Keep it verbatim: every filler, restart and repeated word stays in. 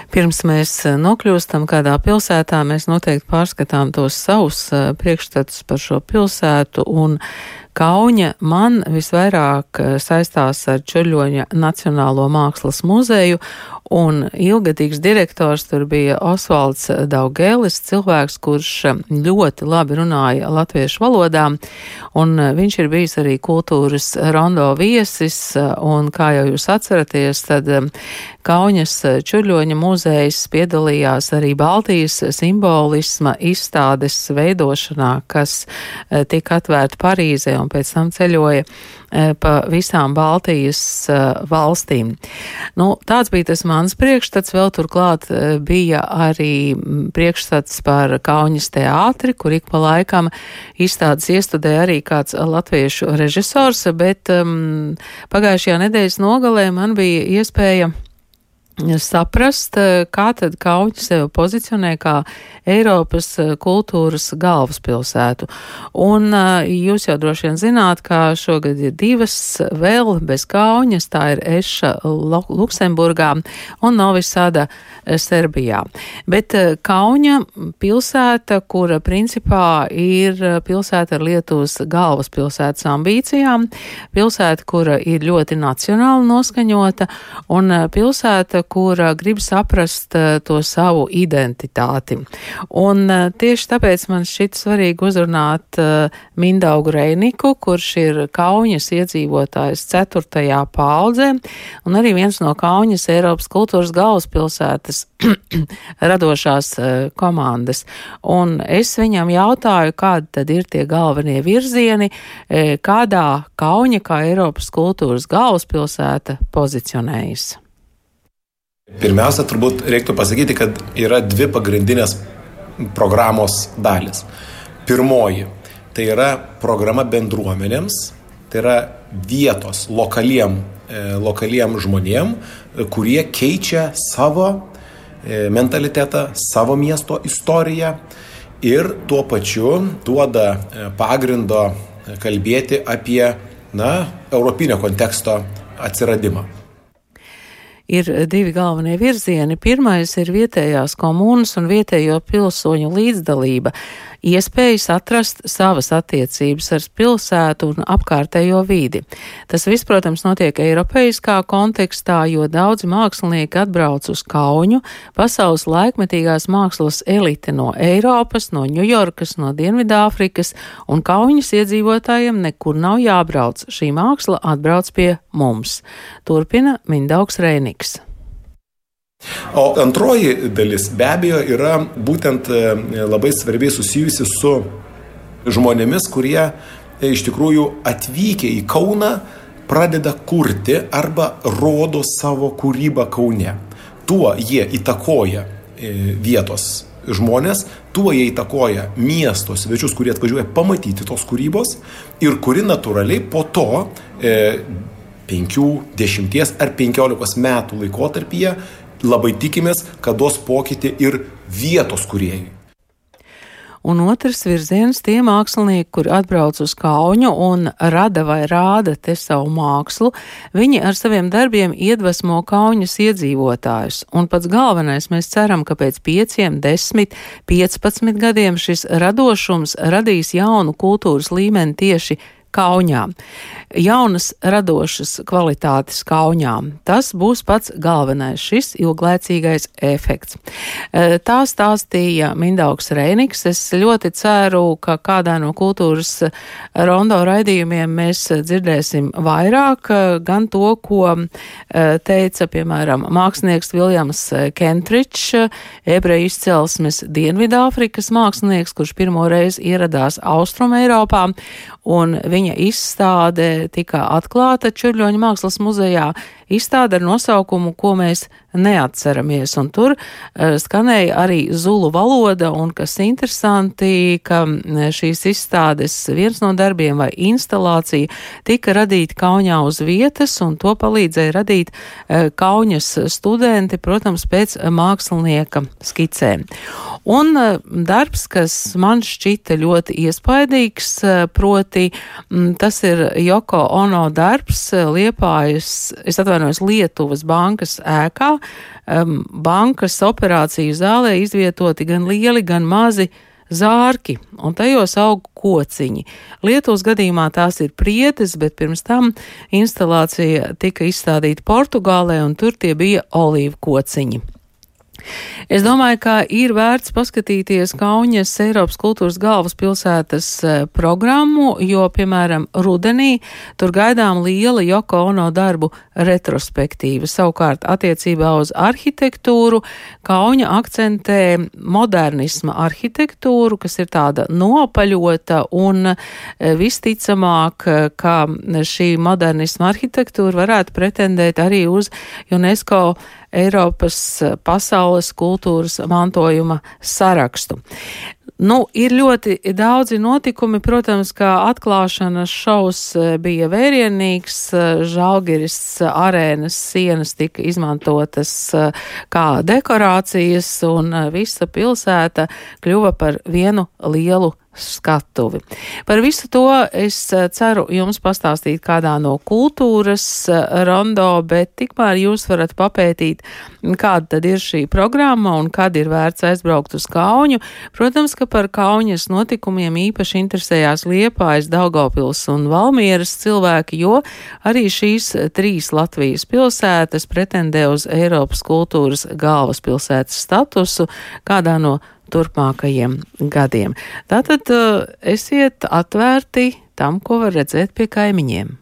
Pirms mēs nokļūstam kādā pilsētā, mēs noteikti pārskatām tos savus priekšstatus par šo pilsētu, un Kauņa man visvairāk saistās ar Čiurļoņa Nacionālo mākslas muzeju, un ilgadīgs direktors tur bija Osvalds Daugēlis, cilvēks, kurš ļoti labi runāja latviešu valodā, un viņš ir bijis arī kultūras rondo viesis, un kā jau jūs atceraties, tad Kauņas Čiurļoņa muzejs piedalījās arī Baltijas simbolisma izstādes veidošanā, kas tika atvērta Parīzē un pēc tam ceļoja pa visām Baltijas valstīm. Nu, tāds bija tas mans priekšstats, vēl turklāt bija arī priekšstats par Kauņas teātri, kur ik pa laikam izstādes iestudēja arī kāds latviešu režisors, bet um, pagājušajā nedēļas nogalē man bija iespēja saprast, kā tad Kauņa sevi pozicionē kā Eiropas kultūras galvaspilsētu. Un jūs jau droši vien zināt, ka šogad ir divas vēl bez Kauņas, tā ir Eša Luksemburgā un Novi Sada Serbijā. Bet Kauņa pilsēta, kura principā ir pilsēta ar Lietuvas galvaspilsētas ambīcijām, pilsēta, kura ir ļoti nacionāli noskaņota, un pilsēta, kura grib saprast uh, to savu identitāti. Un uh, tieši tāpēc man šķiet svarīgi uzrunāt uh, Mindaugu Reiniku, kurš ir Kauņas iedzīvotājs ceturtajā paudzē, un arī viens no Kauņas Eiropas kultūras galvaspilsētas radošās uh, komandas. Un es viņam jautāju, kādi tad ir tie galvenie virzieni, e, kādā Kauņa kā Eiropas kultūras galvaspilsēta pozicionējas. Pirmiausia, turbūt reiktų pasakyti, kad yra dvi pagrindinės programos dalis. Pirmoji, tai yra programa bendruomenėms, tai yra vietos lokaliem, e, lokaliem žmonėm, kurie keičia savo e, mentalitetą, savo miesto istoriją ir tuo pačiu duoda pagrindo kalbėti apie, na, europinio konteksto atsiradimą. Ir divi galvenie virzieni. Pirmais ir vietējās komunas un vietējo pilsoņu līdzdalība, iespējas atrast savas attiecības ar pilsētu un apkārtējo vidi. Tas viss, protams, notiek eiropeiskā kontekstā, jo daudzi mākslinieki atbrauc uz Kauņu, pasaules laikmetīgās mākslas elite no Eiropas, no Ņujorkas, no Dienvidāfrikas, un Kauņas iedzīvotājiem nekur nav jābrauc. Šī māksla atbrauc pie mums. Turpina Mindaugs Reiniks. O antroji dalis be abejo yra būtent labai svarbiai susijusi su žmonėmis, kurie iš tikrųjų atvykę į Kauną pradeda kurti arba rodo savo kūrybą Kaune. Tuo jie įtakoja vietos žmonės, tuo jie įtakoja miesto svečius, kurie atvažiuoja pamatyti tos kūrybos ir kuri natūraliai po to e, penkių, dešimties ar penkiolikos metų laikotarpyje labai tikimės, kad duos pokytį ir vietos kūrėjai. Un otrs virziens tie mākslinieki, kur atbrauc uz Kauņu un rada vai rāda te savu mākslu, viņi ar saviem darbiem iedvesmo Kauņas iedzīvotājus. Un pats galvenais, mēs ceram, ka pēc pieciem, desmit, piecpadsmit gadiem šis radošums radīs jaunu kultūras līmeni tieši Kauņā. Jaunas radošas kvalitātes Kauņā. Tas būs pats galvenais, šis ilglaicīgais efekts. Tā stāstīja Mindaugs Reiniks. Es ļoti ceru, ka kādā no kultūras rondo raidījumiem mēs dzirdēsim vairāk, gan to, ko teica, piemēram, mākslinieks Viljams Kentričs, ebreju izcelsmes Dienvidāfrikas mākslinieks, kurš pirmo reizi ieradās Austrum Eiropā, un viņa izstāde tika atklāta Čiurļoņa mākslas muzejā, izstāde ar nosaukumu, ko mēs neatceramies. Un tur uh, skanēja arī zulu valoda, un kas interesanti, ka šīs izstādes viens no darbiem vai instalācija tika radīta Kauņā uz vietas, un to palīdzēja radīt uh, Kauņas studenti, protams, pēc mākslinieka skicēm. Un darbs, kas man šķita ļoti iespaidīgs, proti tas ir Joko Ono darbs Liepājas, es atvainojos, Lietuvas bankas ēkā. Bankas operāciju zālē izvietoti gan lieli, gan mazi zārki, un tajos aug kociņi. Lietuvas gadījumā tās ir priedes, bet pirms tam instalācija tika izstādīta Portugālē, un tur tie bija olīvu kociņi. Es domāju, ka ir vērts paskatīties Kauņas Eiropas kultūras galvaspilsētas programmu, jo, piemēram, rudenī tur gaidām liela Joko Ono darbu retrospektīva. Savukārt, attiecībā uz arhitektūru, Kauņa akcentē modernisma arhitektūru, kas ir tāda nopaļota, un visticamāk, ka šī modernisma arhitektūra varētu pretendēt arī uz UNESCO Eiropas pasaules kultūras mantojuma sarakstu. Nu, ir ļoti daudzi notikumi, protams, kā atklāšanas šovs bija vērienīgs, Žalgiris arēnas sienas tika izmantotas kā dekorācijas, un visa pilsēta kļuva par vienu lielu skatuvi. Par visu to es ceru jums pastāstīt kādā no kultūras rondo, bet tikmēr jūs varat papētīt, kāda tad ir šī programma un kad ir vērts aizbraukt uz Kauņu. Protams, ka par Kauņas notikumiem īpaši interesējās Liepājas, Daugavpils un Valmieras cilvēki, jo arī šīs trīs Latvijas pilsētas pretendē uz Eiropas kultūras galvaspilsētas statusu kādā no turpmākajiem gadiem. Tātad esiet atvērti tam, ko var redzēt pie kaimiņiem.